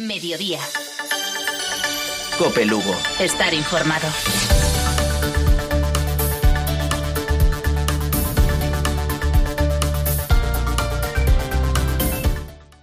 Mediodía. COPE Lugo. Estar informado.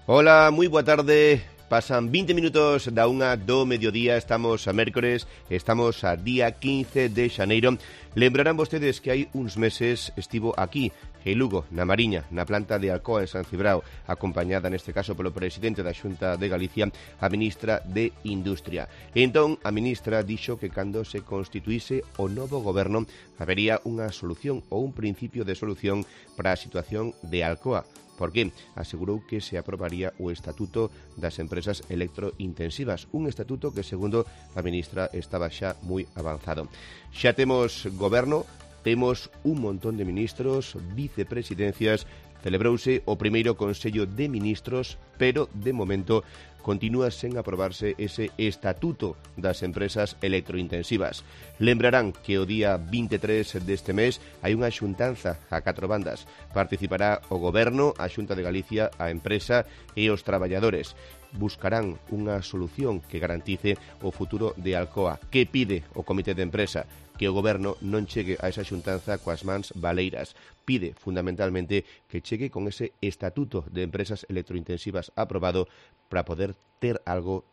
Hola, moi boa tarde. Pasan 20 minutos da unha do mediodía, estamos a mércores, estamos a día 15 de xaneiro. Lembrarán vostedes que hai uns meses estivo aquí, en Lugo, na Mariña, na planta de Alcoa en San Cibrao, acompañada neste caso polo presidente da Xunta de Galicia, a ministra de Industria. E entón, a ministra dixo que cando se constituíse o novo goberno habería unha solución ou un principio de solución para a situación de Alcoa. Por qué? Asegurou que se aprobaría o Estatuto das Empresas Electrointensivas, un estatuto que, segundo a ministra, estaba xa moi avanzado. Xa temos goberno, temos un montón de ministros, vicepresidencias, celebrouse o primeiro Consello de Ministros, pero, de momento, continúa sen aprobarse ese Estatuto das Empresas Electrointensivas. Lembrarán que o día 23 deste mes hai unha xuntanza a 4 bandas. Participará o Goberno, a Xunta de Galicia, a empresa e os traballadores. Buscarán unha solución que garantice o futuro de Alcoa. Que pide o Comité de Empresa? Que o Goberno non chegue a esa xuntanza coas mans baleiras. Pide, fundamentalmente, que chegue con ese Estatuto de Empresas Electrointensivas aprobado para poder ter algo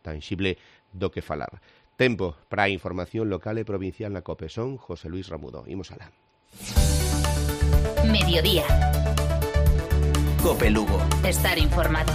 tangible do que falar. Tempo para a información local e provincial na COPE. Son José Luis Ramudo. Imos alá. Mediodía. COPE Lugo. Estar informado.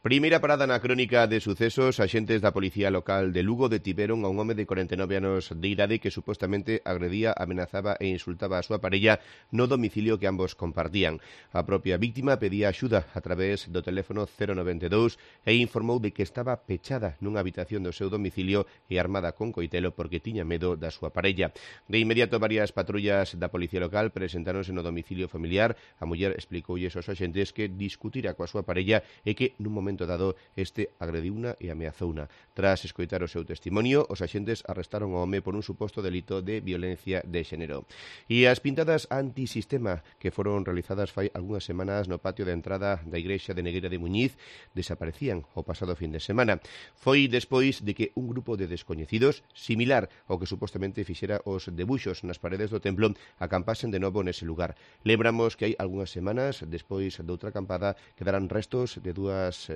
Primeira parada na crónica de sucesos. Axentes da Policía Local de Lugo detiveron a un home de 49 anos de idade que supostamente agredía, amenazaba e insultaba a súa parella no domicilio que ambos compartían. A propia víctima pedía axuda a través do teléfono 092 e informou de que estaba pechada nunha habitación do seu domicilio e armada con coitelo porque tiña medo da súa parella. De inmediato, varias patrullas da Policía Local presentáronse no domicilio familiar. A muller explicoulles aos axentes que discutira coa súa parella e que nun momento dado este agrediuna e ameazouna. Tras escoitar o seu testimonio, os axentes arrestaron ao home por un suposto delito de violencia de xénero. E as pintadas antisistema que foron realizadas fai algunhas semanas no patio de entrada da igrexa de Negueira de Muñiz desaparecían o pasado fin de semana. Foi despois de que un grupo de descoñecidos, similar ao que supostamente fixera os debuxos nas paredes do templo, acampasen de novo nese lugar. Lembramos que hai algunhas semanas, despois doutra acampada, quedaran restos de dúas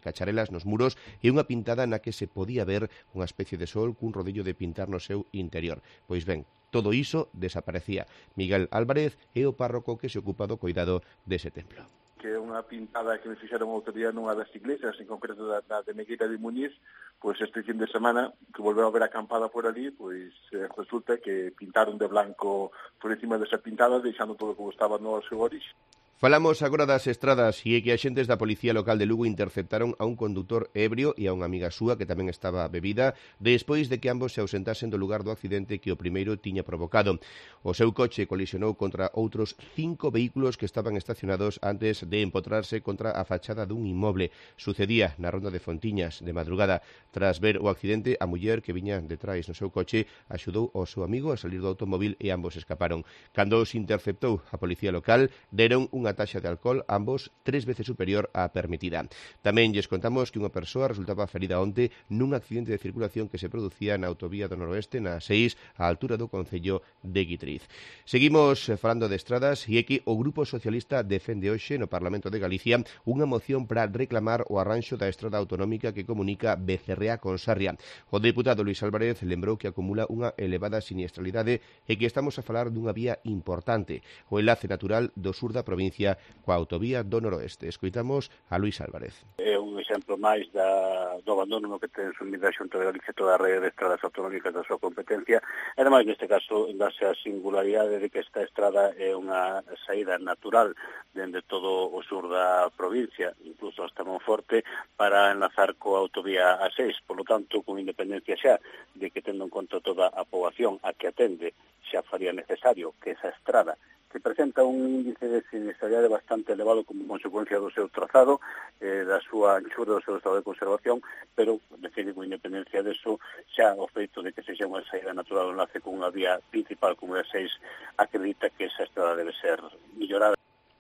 cacharelas nos muros e unha pintada na que se podía ver unha especie de sol cun rodillo de pintar no seu interior. Pois ben, todo iso desaparecía. Miguel Álvarez é o párroco que se ocupa do cuidado dese templo. Que é unha pintada que me fixeron outro día nunha das iglesias, en concreto da de Negueira de Muñiz, pois este fin de semana, que volveu a ver acampada por ali, pois resulta que pintaron de blanco por encima desa pintada, deixando todo como estaba no seu orixe. Falamos agora das estradas e é que axentes da Policía Local de Lugo interceptaron a un condutor ebrio e a unha amiga súa que tamén estaba bebida despois de que ambos se ausentasen do lugar do accidente que o primeiro tiña provocado. O seu coche colisionou contra outros 5 vehículos que estaban estacionados antes de empotrarse contra a fachada dun inmoble. Sucedía na ronda de Fontiñas de madrugada. Tras ver o accidente, a muller que viña detrás no seu coche axudou ao seu amigo a salir do automóvil e ambos escaparon. Cando os interceptou a Policía Local, deron unha taxa de alcohol, ambos 3 veces superior á permitida. Tamén lles contamos que unha persoa resultaba ferida onte nun accidente de circulación que se producía na autovía do Noroeste, na 6, á altura do concello de Guitriz. Seguimos falando de estradas e é que o Grupo Socialista defende hoxe no Parlamento de Galicia unha moción para reclamar o arranxo da estrada autonómica que comunica Becerrea con Sarria. O deputado Luís Álvarez lembrou que acumula unha elevada siniestralidade e que estamos a falar dunha vía importante, o enlace natural do sur da provincia coa autovía do Noroeste. Escoitamos a Luís Álvarez. É un exemplo máis do abandono no que ten sumida a Xunta de Galicia toda a rede de estradas autonómicas da súa competencia, e ademais neste caso dase a singularidade de que esta estrada é unha saída natural dende todo o sur da provincia, incluso hasta Monforte, para enlazar coa autovía A6. Por lo tanto, con independencia xa de que tendo en conta toda a poboación a que atende, xa faría necesario que esa estrada que presenta un índice de siniestralidade bastante elevado como consecuencia do seu trazado, da súa anchura, do seu estado de conservación, pero, define con independencia deso, xa o feito de que sexa unha saída natural o enlace con unha vía principal como é a 6, acredita que esa estrada debe ser millorada.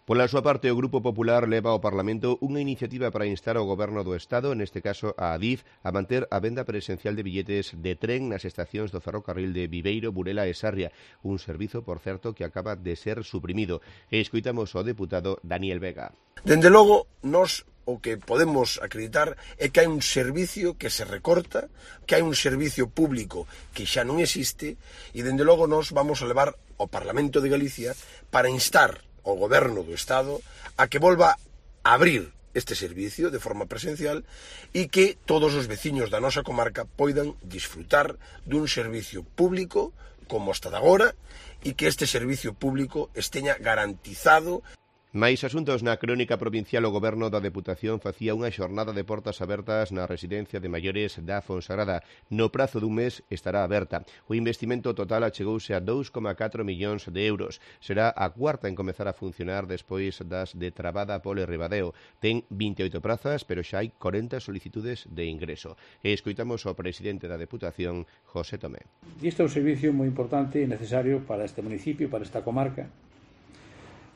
Pola súa parte, o Grupo Popular leva ao Parlamento unha iniciativa para instar ao Goberno do Estado, neste caso a Adif, a manter a venda presencial de billetes de tren nas estacións do ferrocarril de Viveiro, Burela e Sarria, un servizo, por certo, que acaba de ser suprimido. E escoitamos ao deputado Daniel Vega. Dende logo, nós o que podemos acreditar é que hai un servicio que se recorta, que hai un servicio público que xa non existe, e dende logo nós vamos a levar ao Parlamento de Galicia para instar ao Goberno do Estado a que volva a abrir este servicio de forma presencial e que todos os veciños da nosa comarca poidan disfrutar dun servicio público como hasta de agora e que este servicio público esteña garantizado. Mais asuntos na crónica provincial, o Goberno da Deputación facía unha xornada de portas abertas na residencia de maiores da Fonsagrada. No prazo dun mes estará aberta. O investimento total achegouse a 2,4 millóns de euros. Será a cuarta en comezar a funcionar despois das de Trabada, Pole e Ribadeo. Ten 28 prazas, pero xa hai 40 solicitudes de ingreso. E escoitamos ao presidente da Deputación, José Tomé. Este é un servicio moi importante e necesario para este municipio, para esta comarca.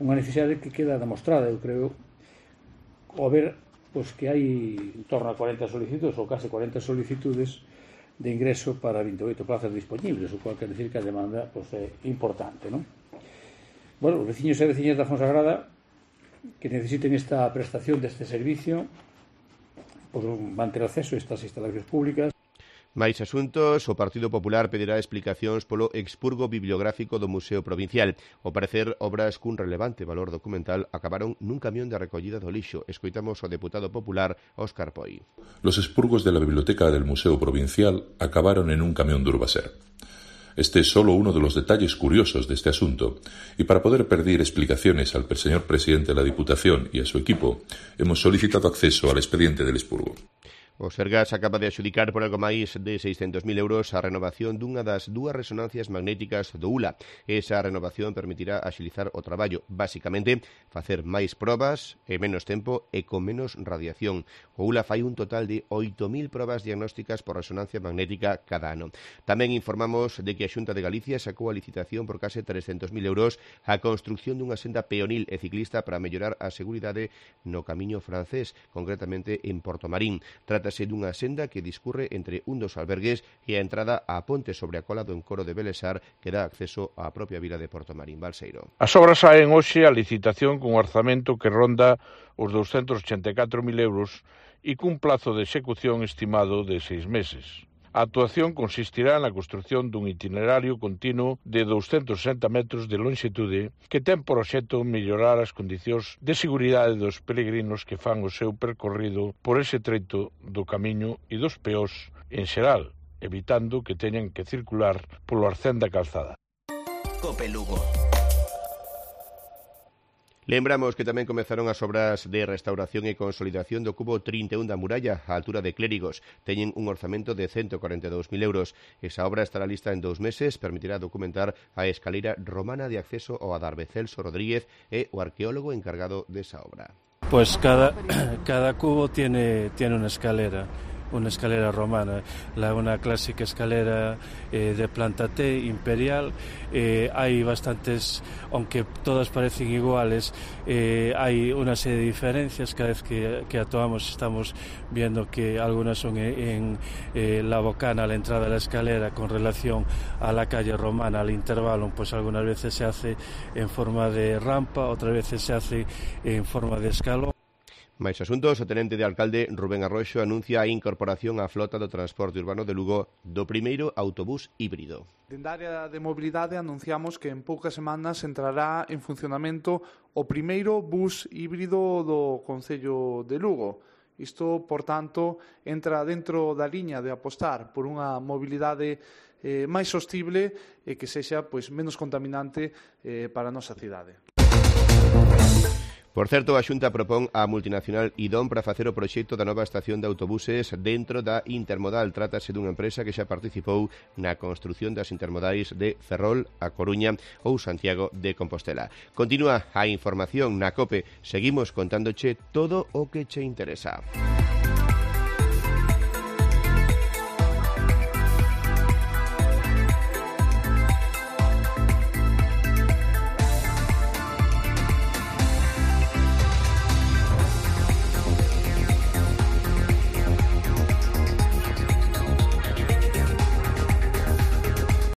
Unha necesidade que queda demostrada, eu creo, ao ver que hai en torno a 40 solicitudes ou case 40 solicitudes de ingreso para 28 plazas disponibles, o cual quer decir que a demanda é importante, non? Bueno, os veciños e veciñas da Fonsagrada que necesiten esta prestación deste servicio van ter acceso a estas instalacións públicas. Mais asuntos, o Partido Popular pedirá explicacións polo expurgo bibliográfico do Museo Provincial. Ao parecer, obras cun relevante valor documental acabaron nun camión de recollida do lixo. Escoitamos ao deputado popular Óscar Poi. Los expurgos de la biblioteca del Museo Provincial acabaron en un camión de Urbaser. Este es solo uno de los detalles curiosos de este asunto, y para poder pedir explicaciones al señor presidente de la Diputación y a su equipo, hemos solicitado acceso al expediente del expurgo. O Sergas acaba de adxudicar por algo máis de 600.000 euros a renovación dunha das dúas resonancias magnéticas do ULA. Esa renovación permitirá axilizar o traballo, basicamente, facer máis probas e menos tempo e con menos radiación. O ULA fai un total de 8.000 probas diagnósticas por resonancia magnética cada ano. Tamén informamos de que a Xunta de Galicia sacou a licitación por case 300.000 euros a construcción dunha senda peonil e ciclista para mellorar a seguridade no camiño francés, concretamente en Portomarín. Trátase dunha senda que discurre entre un dos albergues e a entrada á ponte sobre a cola do encoro de Belesar que dá acceso á propia vila de Portomarín, Balseiro. As obras saen hoxe a licitación cun orzamento que ronda os 284.000 euros e cun plazo de execución estimado de 6 meses. A actuación consistirá na construción dun itinerario continuo de 260 metros de longitude que ten por obxecto mellorar as condicións de seguridade dos peregrinos que fan o seu percorrido por ese treito do camiño e dos peós en xeral, evitando que teñan que circular polo arcén da calzada. Cope Lugo. Lembramos que tamén comezaron as obras de restauración e consolidación do cubo 31 da muralla á altura de Clérigos. Teñen un orzamento de 142.000 euros. Esa obra estará lista en 2 meses, permitirá documentar a escaleira romana de acceso ao adarve. Celso Rodríguez é o arqueólogo encargado desa obra. Pues cada cubo tiene una escalera romana, una clásica escalera de planta T imperial. Hay bastantes, aunque todas parecen iguales, hay una serie de diferencias. Cada vez que actuamos estamos viendo que algunas son en la bocana, a la entrada de la escalera, con relación a la calle romana, al intervalo, pues algunas veces se hace en forma de rampa, otras veces se hace en forma de escalón. Mais asuntos, o tenente de alcalde Rubén Arroxo anuncia a incorporación á flota do transporte urbano de Lugo do primeiro autobús híbrido. Dende a área de mobilidade anunciamos que en poucas semanas entrará en funcionamento o primeiro bus híbrido do Concello de Lugo. Isto, por tanto, entra dentro da liña de apostar por unha mobilidade máis sostible e que sexa menos contaminante para a nosa cidade. Por certo, a Xunta propón á multinacional Idom para facer o proxecto da nova estación de autobuses dentro da Intermodal. Trátase dunha empresa que xa participou na construción das intermodais de Ferrol a Coruña ou Santiago de Compostela. Continúa a información na COPE. Seguimos contándoche todo o que che interesa.